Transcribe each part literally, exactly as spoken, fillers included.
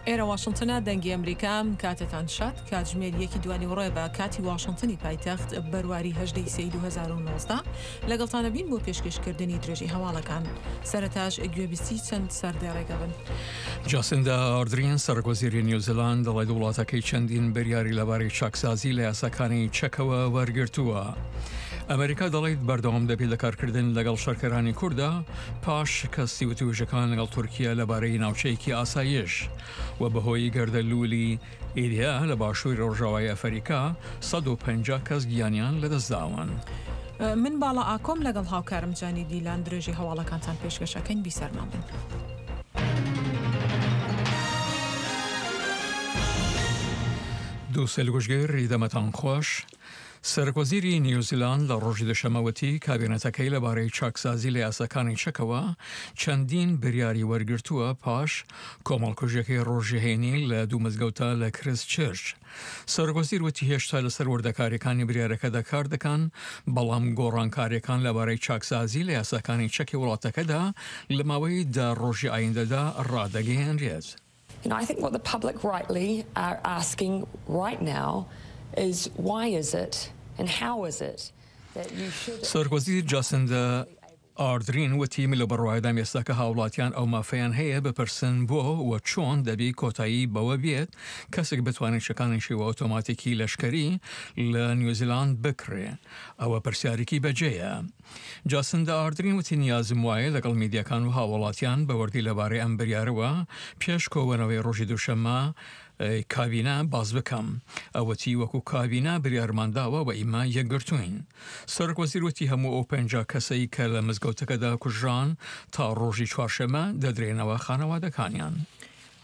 ئێرە واشنتنە، دەنگی ئەمریکا. کاتتان شاد. کاتژمێر یەکی دوانیوەڕۆیە بە کاتی واشنتنی پایتەخت، بەرواری هەژدەی سێی دوو هەزار و نۆزدە. لەگەڵتانە بین بۆ پێشکەشکردنی درێژەی هەواڵەکان. سەرەتاش گوێبیستی چەند سەردێڕێکە بن. جاسیندا ئاردرین، سەرۆکوەزیری نیوزیلاند دەڵێت وڵاتەکەی چەندین بریاری لەبارەی چاکسازی لە یاساکانی چەکەوە وەرگرتووە. ئەمریکا دەڵێت بەردەوام دەبێت لە کارکردن لەگەڵ شەرکەرانی کووردا پاش شکستی وتوێژەکان لەگەڵ تورکیا لەبارەی ناوچەیەکی ئاسایش و بەهۆی گەردەلوولی ئیدیا لە باشووری ڕۆژاوای ئەفریکا سەد و پەنجا کەس گیانیان لەدەستداون. من باڵا ئاکۆم لەگەڵ هاوکارم جانی دیلان درێژی هەواڵەکانتان پێشکەشەکەین، بیسەرمان بن. دوو سێلگوشگر دەمەتان خۆش. سەرۆکوەزیری نیوزیلاند لە ڕۆژی دوشەممە وتی کابینەتەکەی لەبارەی چاکسازی لە یاساکانی چەکەوە چەندین بریاری وەرگرتووە پاش کۆمەڵکوژیەکەی ڕۆژی هەینی لە دوو مزگەوتە لە کرست چرچ. سەرۆکوەزیر وتی هێشتا لەسەر وردەکاریەکانی بریارەکەدا کار دەکەن، بەڵام گۆڕانکاریەکان لەبارەی چاکسازی لە یاساکانی چەکی وڵاتەکەدا لە ماوەی دە ڕۆژی ئایندەدا ڕادەگەیەنرێت. You know, I think what the public rightly are asking right now is why is it and how is it that you should سەرۆکوەزیر جاسیندا ئاردرین وتی من لەو بڕوایەدام ئێستا کە هاوڵاتیان ئەو مافەیان هەیە بپرسن بۆ و چۆن دەبی کۆتایی بەوە بێت کەسێک بتوانێت چەکانی شێوە ئۆتۆماتیکی لەشکەری لە نیوزیلاند بکڕێ، ئەوە پرسیارێکی بەجێیە. جاسیندا ئاردرین وتی نیازم وایە لەگەڵ میدیاکان و هاوڵاتیان بە وردی لەبارەی ئەم بریارەوە پێش کۆبوونەوەی ڕۆژی دووشەممە کابینە باس بکەم. ئەو وتی وەکو کابینە بریارمان داوە و ئیمە یەکگرتووین. سەرۆک وەزیر وتی هەموو ئەو پەنجا کەسەی کە لە مزگەوتەکەدا کوژران تا ڕۆژی چوارشەممە دەدرێنەوە خانەوادەکانیان.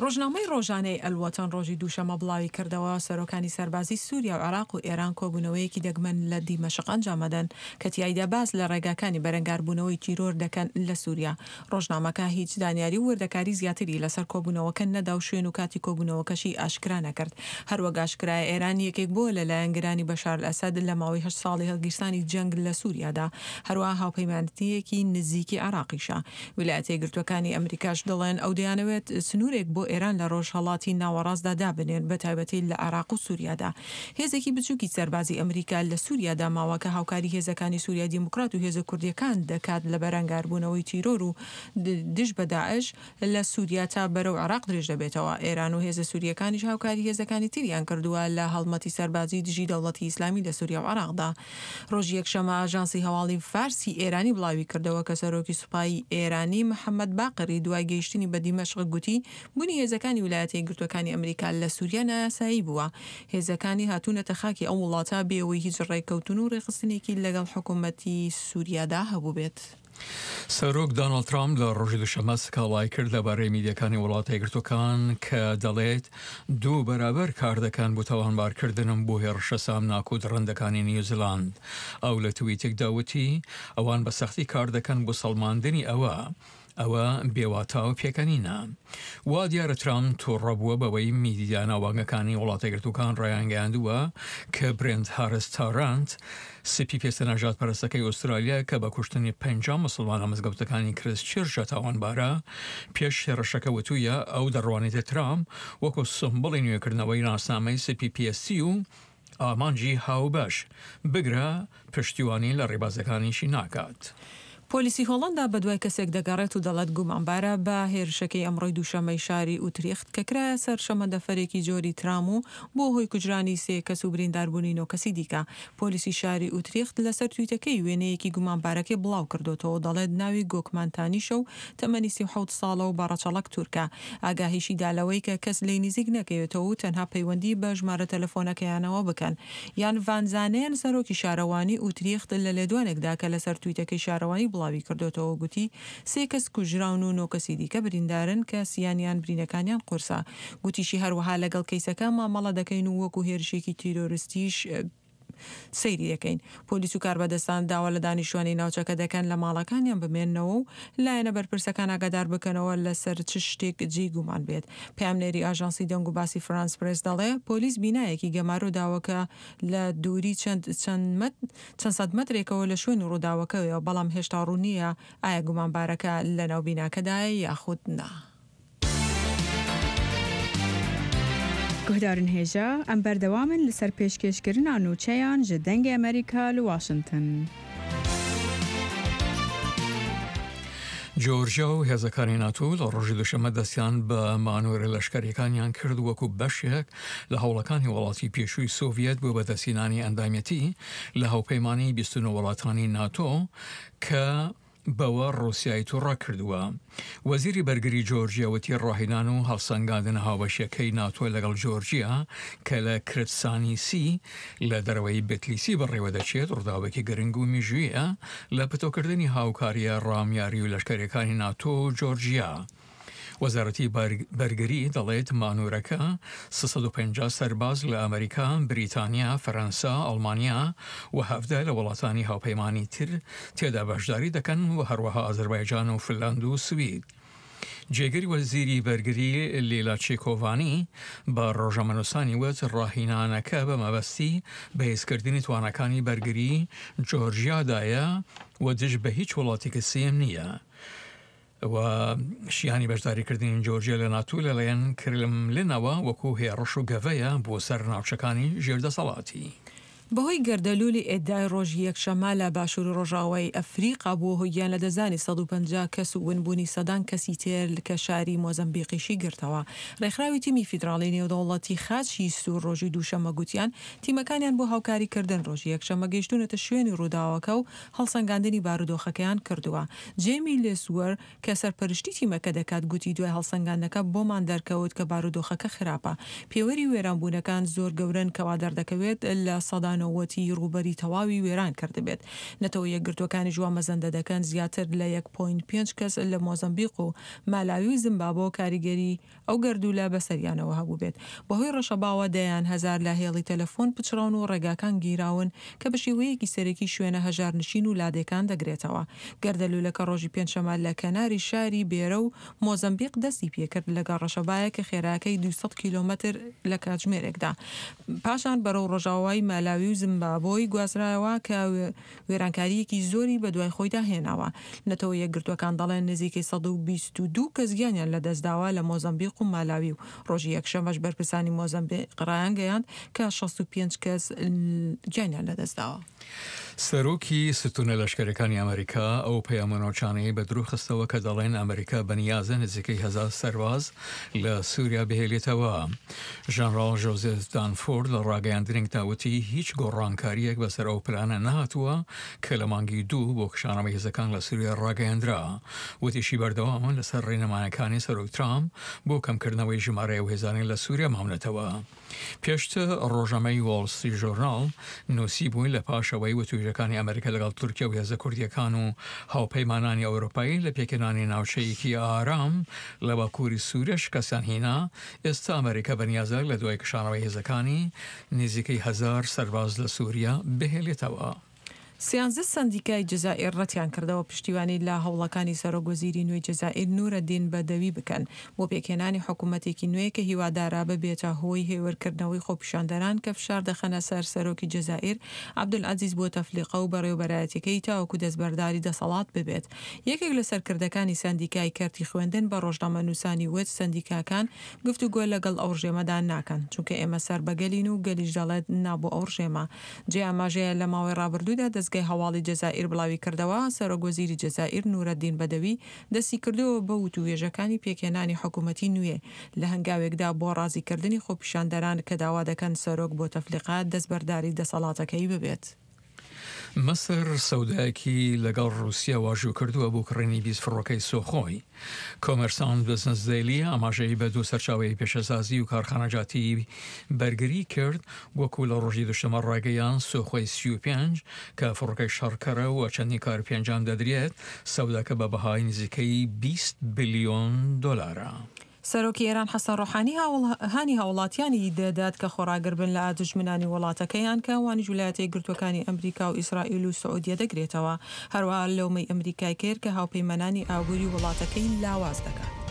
ڕۆژنامەی ڕۆژانەی ئەلوەتەن ڕۆژی دووشەممە بڵاویکردەوە، سەرۆکانی سەربازی سووریا و عێراق و ئێران کۆبوونەوەیەکی دەگمەن لە دیمەشق ئەنجامەدەن کە تیایدا باس لە ڕێگاکانی بەرەنگاربوونەوەی تیرۆر دەکەن لە سووریا. ڕۆژنامەکە هیچ زانیاری و وردەکاری زیاتری لەسەر کۆبوونەوەکە نەدا و شوێن و کاتی کۆبوونەوەکەشی ئاشکرا نەکرد. هەروەک ئاشکرایە ئێران یەکێک بووە لە لایەنگرانی بەشار ئەسەد لە ماوەی هەشت ساڵی هەڵگیرسانی جەنگ لە سووریادا، هەروەها هاوپەیمانێتییەکی نزیکی عێراقیشە. ویلایەتە یەکگرتووەکانی ئەمریکاش دەڵێن ئەو دەیانەوێت سنوورێک بۆ ئێران لە ڕۆژهەڵاتی ناوەڕاستدا دابنێن، بەتایبەتی لە عێراق و سووریادا. هێزێکی بچووکی سەربازی ئەمریکا لە سووریادا ماوە کە هاوکاری هێزەکانی سووریای دیموکرات و هێزە کوردییەکان دەکات لە بەرەنگاربوونەوەی تیرۆر و دژ بە داعش لە سووریا تا بەرەو عێراق درێژ دەبێتەوە. ئێران و هێزە سوورییەکانیش هاوکاری هێزەکانی تریان کردووە لە هەڵمەتی سەربازی دژی دەوڵەتی ئیسلامی لە سووریا و عێراقدا. ڕۆژی یەکشەممە ئاژانسی هەواڵی فارسی ئێرانی بڵاویکردەوە کە سەرۆکی سوپای ئێرانی محەمەد باقری دوای گەیشتنی بە دیمەشق گوتی بوونی هێزەکانی ویلایەتە یەکگرتووەکانی ئەمریکا لە سووریا نایاسایی بووە. هێزەکانی هاتوونەتە خاکی ئەو وڵاتە بێ ئەوەی هیچ ڕێککەوتن و ڕێکخستنێکی لەگەڵ حکوومەتی سووریادا هەبووبێت. سەرۆک داناڵد ترامپ لە ڕۆژی دووشەممە سکاڵای کرد لەبارەی میدیاکانی وڵاتە یەکگرتووەکان کە دەڵێت دوو بەرابەر کار دەکەن بۆ تاوانبارکردنم بۆ هێڕشە سامناک و دڕندەکانی نیوزیلاند. ئەو لە تویتێکدا وتی ئەوان بە سەختی کار دەکەن بۆ سەڵماندنی ئەوە ئەوە بێواتا و پێکەنینە. وا دیارە ترامپ تووڕە بووە بەوەی میدیا ناوبانگەکانی وڵاتە یەکگرتووەکان ڕایانگەیاندووە کە برێنت هارس تارانت، سپی پێستە نەژادپەرستەکەی ئوسترالیا کە بە کوشتنی پەنجا موسڵمان لە مزگەوتەکانی کرست چرچ تاوانبارە، پێش هێڕشەکە وتوویە ئەو دەڕوانێتە ترامپ وەکو سمبوڵی نوێکردنەوەی ناسنامەی سپی پێستی و ئامانجی هاوبەش، بگرە پشتیوانی لە ڕێبازەکانیشی ناکات. پۆلیسی هۆڵەندا بەدوای کەسێک دەگەڕێت و دەڵێت گومانبارە بە هێرشەکەی ئەمڕۆی دووشەممەی شاری ئوتریخت کە کرایە سەر شەمەندەفەرێکی جۆری ترام و بووە هۆی کوژرانی سێ کەس و برینداربوونی نۆ کەسی دیکە. پۆلیسی شاری ئوتریخت لەسەر تویتەکەی وێنەیەکی گومانبارەکەی بڵاوکردۆتەوە و دەڵێت ناوی گۆکمان تانیشە و تەمەنی سی و حەوت ساڵە و بە ڕەچەڵەک تورکە. ئاگاهیشی دا لەوەی کە کەس لێی نزیک نەکەوێتەوە و تەنها پەیوەندی بە ژمارە تەلەفۆنەکەیانەوە بکەن. یان ڤان زانێن سەرۆکی شارەوانی ئوتریخت لە لێدوانێکدا کە لەسەر تویتەکەی شارەوانی بڵاویکردۆتەوە گوتی سێ کەس کوژراون و نۆ کەسی دیکە بریندارن کە سیانیان برینەکانیان قورسە. گوتیشی هەروەها لەگەڵ کەیسەکە مامەڵە دەکەین و وەکو هێرشێکی تیرۆرستیش سەیری دەکەین. پۆلیس و کاربەدەستان داوا لە دانیشتوانی ناوچەکە دەکەن لە ماڵەکانیان بمێننەوە و لایەنە بەرپرسەکان ئاگادار بکەنەوە لەسەر چ شتێک جێی گومان بێت. پەیامنێری ئاژانسی دەنگ و باسی فرانس پرێس دەڵێ پۆلیس بینایەکی گەمارۆ داوە کە لە دووری چەند چەند سەد مەترێکەوە لە شوێنی ڕووداوەکەوەیە، بەڵام هێشتا ڕوون نییە ئایا گومانبارەکە لەناو بیناکەدایە یاخود نا. Guhdarên hêja em berdewam in li ser pêşkêşkirina nûçeyan ji Dengê Amerîka li Washington. جۆرجیا و هێزەکانی ناتۆ لە ڕۆژی دوشەممە دەستیان بە مانۆرە لەشکەریەکانیان کرد وەکو بەشێک لە هەوڵەکانی وڵاتی پێشووی سۆڤیەت بۆ بەدەستهێنانی ئەندامیەتی لە هاوپەیمانی بیست و نۆ وڵاتانی ناتۆ کە بەوە ڕووسیای تووڕە کردووە. وەزیری بەرگری جۆرجیا وتی ڕاهێنان و هەڵسەنگاندنە هاوبەشیەکەی ناتۆ لەگەڵ جۆرجیا کە لە کرتسانیسی لە دەرەوەی بتلیسی بەڕێوە دەچێت ڕووداوێکی گرنگ و میژوویە لە پتەوکردنی هاوکارییە ڕامیاری و لەشکەریەکانی ناتۆ و جۆرجیا. وەزارەتی بەرگری دەڵێت مانورەکە سێ سەد و پەنجا سەرباز لە ئەمریکا، بریتانیا، فەرەنسا، ئەڵمانیا و حەڤدە لە وڵاتانی هاوپەیمانی تر تێدا بەشداری دەکەن و هەروەها ئازەربایجان و فنلند و سوید. جێگری وەزیری بەرگری لیلا چیکۆڤانی بە ڕۆژنامەنووسانی وت ڕاهینانەکە بە مەبەستی بەهێزکردنی تواناکانی بەرگری جۆرجیادایە و دژ بە هیچ وڵاتێکی سێیەم نییە. و شیانی بەشداریکردنی جۆرجیا لە ناتۆ لەلایەن کرملنەوە وەکو هێڕش و گەڤەیە بۆ سەر ناوچەکانی ژێر دەسەڵاتی. بەهۆی گەردەلوولی ئێدای ڕۆژی یەکشەممە لە باشووری ڕۆژاوای ئەفریقا بووە هۆی گیانلەدەستدانی سەد و پەنجا کەس و ونبوونی سەدان کەسی تر کە شاری مۆزەمبیقیشی گرتەوە. ڕێکخراوی تیمی فیدراڵی نێودەوڵەتی خاچی سوور ڕۆژی دووشەممە گوتیان تیمەکانیان بۆ هاوکاریکردن ڕۆژی یەکشەممە گەیشتوونەتە شوێنی ڕووداوەکە و هەڵسەنگاندنی بارودۆخەکەیان کردووە. جێمی لێسوەر کە سەرپەرشتی تیمەکە دەکات گوتی دوای هەڵسەنگاندنەکە بۆمان دەرکەوت کە بارودۆخەکە خراپە. پێوەری وێرانبوونەکان زۆر گەورەن کە وا دەردەکەوێت لە سەدا نەوەتی ڕووبەری تەواوی وێران کردبێت. نەتەوە یەکگرتووەکانیش وا مەزەندە دەکەن زیاتر لە یەک پۆینت پێنج کەس لە مۆزەمبیق و مالاوی و زیمبابۆ کاریگەری ئەو گەردوولە بەسەریانەوە هەبووبێت. بەهۆی ڕەشەباوە دەیان هەزار لە هێڵی تەلەفۆن پچڕاون و ڕێگاکان گیراون کە بە شێوەیەکی سەرەکی شوێنە هەژارنشین و لادێکان دەگرێتەوە. گەردەلوولەکە ڕۆژی پێنجشەممە لە کەناری شاری بێرە و مۆزەمبیق دەستی پێکرد لەگەڵ ڕەشەبایەک کە خێراکەی دوو سەد کیلۆمەتر لە کاتژمێرێکدا پاشان بەرەو ڕۆژاوای مالاوی و زیمبابۆی گوازرایەوە کە وێرانکارییەکی زۆری بەدوای خۆیدا هێناوە. نەتەوە یەکگرتووەکان دەڵێن نزیکەی سەد و بیست و دوو کەس گیانیان لەدەستداوە لە مۆزەمبیق و مالاوی و ڕۆژی یەکشەممەش بەرپرسانی مۆزەمبیق ڕایانگەیاند کە شەست و پێنج کەس گیانیان لەدەستداوە. سەرۆکی ستونە لەشکەرەکانی ئەمریکا ئەو پەیامە ناوچانەی بە درۆ خستەوە کە دەڵێن ئەمریکا بەنیازە نزیکەی هەزار سەرباز لە سووریا بهێلێتەوە. ژەنراڵ ژۆزێف دانفۆرد لە ڕاگەیاندنێکدا وتی هیچ گۆڕانکارییەک بەسەر ئەو پلانە نەهاتووە کە لە مانگی دوو بۆ کشانەوەی هێزەکان لە سووریا ڕاگەیاندرا. وتیشی بەردەوامن لەسەر ڕێنمایەکانی سەرۆک ترامپ بۆ کەمکردنەوەی ژمارەی ئەو هێزانەی لە سووریا ماونەتەوە. پێشتر ڕۆژنامەی وۆڵ ستریت ژۆرناڵ نووسیبووی لە پاش ئەوەی وتووێژەکانی ئەمریکا لەگەڵ تورکیا و هێزە کوردییەکان و هاوپەیمانانی ئەوروپایی لە پێکهێنانی ناوچەیەکی ئارام لە باکووری سووریا شکستیان هینا، ئێستا ئەمریکا بەنیازە لە دوای کشانەوەی هێزەکانی نزیکەی هەزار سەرباز لە سووریا بهێلێتەوە. سیانزە سەندیکای جەزائیر ڕەتیانکردەوە پشتیوانی لە هەوڵەکانی سەرۆک وەزیری نوێی جەزائیر نورەدین بەدەوی بکەن بۆ پێکهێنانی حکومەتێکی نوێ کە هیوادارە ببێتە هۆی هێورکردنەوەی خۆپیشاندەران کە فشار دەخەنە سەر سەرۆکی جەزائیر عەبدولعەزیز بوتەفلیقە و بەڕێوەبەرایەتیەکەی تاوەکو دەستبەرداری دەسەڵات ببێت. یەکێک لە سەرکردەکانی سەندیکای کەرتی خوێندن بە ڕۆژنامەنووسانی وت سەندیکاکان گفتوگۆ لەگەڵ ئەو ڕژێمەدا ناکەن چونکە ئێمە سەر بە گەلین و گەلیش دەڵێت نا بۆ ئەو ڕژێمە. جێی ئاماژەیە لە ماوەی ڕابردوودا دەزگای هەواڵی جەزائیر بڵاویکردەوە، سەرۆک وەزیری جەزائیر نورەدین بەدەوی دەستیکردووە بە وتووێژەکانی پێکهێنانی حکومەتی نوێ لە هەنگاوێکدا بۆ ڕازیکردنی خۆپیشاندەران کە داوا دەکەن سەرۆک بوتەفلیقە دەستبەرداری دەسەڵاتەکەی ببێت. مسر سەودایەکی لەگەڵ ڕووسیا واژوو کردووە بۆ کڕینی بیست فڕۆکەی سۆخۆی. کۆمێرسانت بزنس دەیلی ئاماژەی بە دوو سەرچاوەی پیشەسازی و کارخانەجاتی بەرگری کرد، وەکو لە ڕۆژی دوشەممە ڕایگەیاند سۆخۆی سی و پێنج کە فڕۆکەی شەڕکەرە و چەندین کار پێ ئەنجام دەدرێت، سەوداکە بە بەهای نزیکەی بیست بلیۆن دۆلارە. سەرۆکی ئێران حەسەن ڕۆحانی هانی هاوڵاتیانی دەدات کە خۆڕاگربن لە دوژمنانی وڵاتەکەیان کە ئەوانیش ویلایەتە یەکگرتووەکانی ئەمریکا و ئیسرائیل و سعودیە دەگرێتەوە. هەروەها لۆمەی ئەمریکای کرد کە هاوپەیمانانی ئابووری وڵاتەکەی لاواز دەکات.